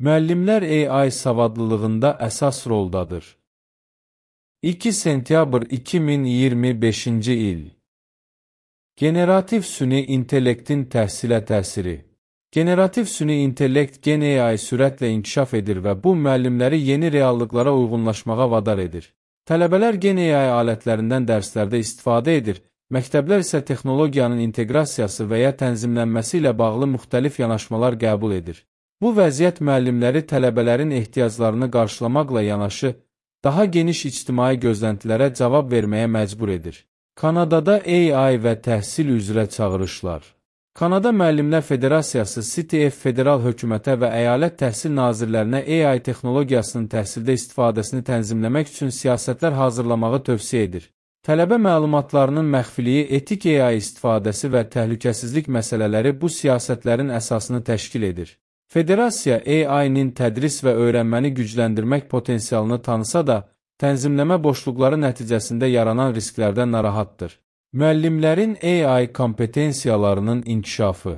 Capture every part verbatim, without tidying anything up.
Müəllimlər A I savadlılığında əsas roldadır. iki sentyabr iki min iyirmi beşinci il. Generativ süni intellektin təhsilə təsiri. Generativ süni intellekt gen A I sürətlə inkişaf edir və bu müəllimləri yeni reallıqlara uyğunlaşmağa vadar edir. Tələbələr gen A I alətlərindən dərslərdə istifadə edir, məktəblər isə texnologiyanın inteqrasiyası və ya tənzimlənməsi ilə bağlı müxtəlif yanaşmalar qəbul edir. Bu vəziyyət müəllimləri tələbələrin ehtiyaclarını qarşılamaqla yanaşı, daha geniş ictimai gözləntilərə cavab verməyə məcbur edir. Kanadada A I və təhsil üzrə çağırışlar. Kanada Müəllimlər Federasiyası C T F federal hökumətə və əyalət təhsil nazirlərinə A I texnologiyasının təhsildə istifadəsini tənzimləmək üçün siyasətlər hazırlamağı tövsiyə edir. Tələbə məlumatlarının məxfiliyi, etik A I istifadəsi və təhlükəsizlik məsələləri bu siyasətlərin əsasını təşkil edir. Federasiya A I-nin tədris və öyrənməni gücləndirmək potensialını tanısa da, tənzimləmə boşluqları nəticəsində yaranan risklərdən narahatdır. Müəllimlərin A I kompetensiyalarının inkişafı.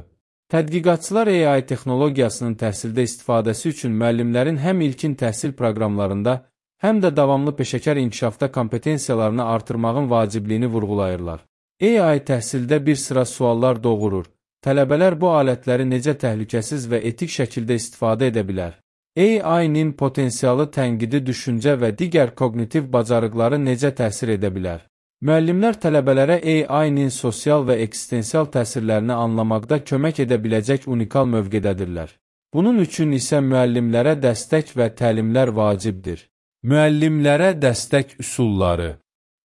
Tədqiqatçılar A I texnologiyasının təhsildə istifadəsi üçün müəllimlərin həm ilkin təhsil proqramlarında, həm də davamlı peşəkar inkişafda kompetensiyalarını artırmağın vacibliyini vurğulayırlar. A I təhsildə bir sıra suallar doğurur. Tələbələr bu alətləri necə təhlükəsiz və etik şəkildə istifadə edə bilər? A I-nin potensialı tənqidi düşüncə və digər koqnitiv bacarıqları necə təsir edə bilər? Müəllimlər tələbələrə A I-nin sosial və eksistensial təsirlərini anlamaqda kömək edə biləcək unikal mövqedədirlər. Bunun üçün isə müəllimlərə dəstək və təlimlər vacibdir. Müəllimlərə dəstək üsulları.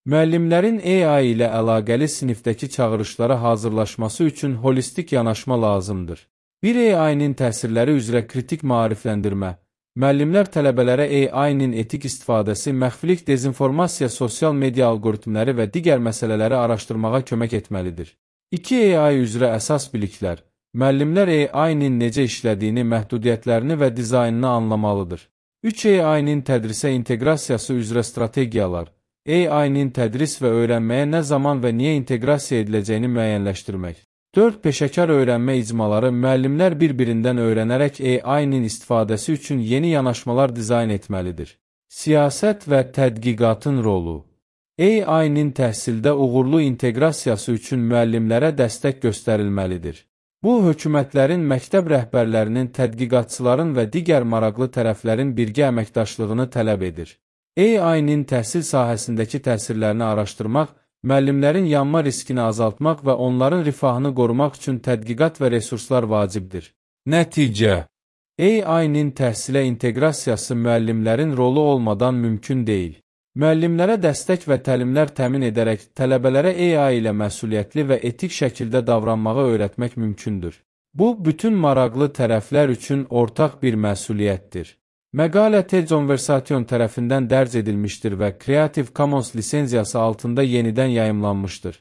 Müəllimlərin A I ilə əlaqəli sinifdəki çağırışlara hazırlaşması üçün holistik yanaşma lazımdır. Bir A I-nin təsirləri üzrə kritik maarifləndirmə. Müəllimlər tələbələrə A I-nin etik istifadəsi, məxfilik, dezinformasiya, sosial media algoritmləri və digər məsələləri araşdırmağa kömək etməlidir. iki A I üzrə əsas biliklər. Müəllimlər A I-nin necə işlədiyini, məhdudiyyətlərini və dizaynını anlamalıdır. üç A I-nin tədrisə inteqrasiyası üzrə strategiyalar. A I-nin tədris və öyrənməyə nə zaman və niyə inteqrasiya ediləcəyini müəyyənləşdirmək. dörd Peşəkar öyrənmə icmaları. Müəllimlər bir-birindən öyrənərək A I-nin istifadəsi üçün yeni yanaşmalar dizayn etməlidir. Siyasət və tədqiqatın rolu. A I-nin təhsildə uğurlu inteqrasiyası üçün müəllimlərə dəstək göstərilməlidir. Bu, hökumətlərin, məktəb rəhbərlərinin, tədqiqatçıların və digər maraqlı tərəflərin birgə əməkdaşlığını tələb edir. A I-nin təhsil sahəsindəki təsirlərini araşdırmaq, müəllimlərin yanma riskini azaltmaq və onların rifahını qorumaq üçün tədqiqat və resurslar vacibdir. Nəticə. A I-nin təhsilə inteqrasiyası müəllimlərin rolu olmadan mümkün deyil. Müəllimlərə dəstək və təlimlər təmin edərək tələbələrə A I ilə məsuliyyətli və etik şəkildə davranmağı öyrətmək mümkündür. Bu, bütün maraqlı tərəflər üçün ortaq bir məsuliyyətdir. Məqalə Tecnversation tərəfindən dərc edilmişdir və Creative Commons lisenziyası altında yenidən yayımlanmışdır.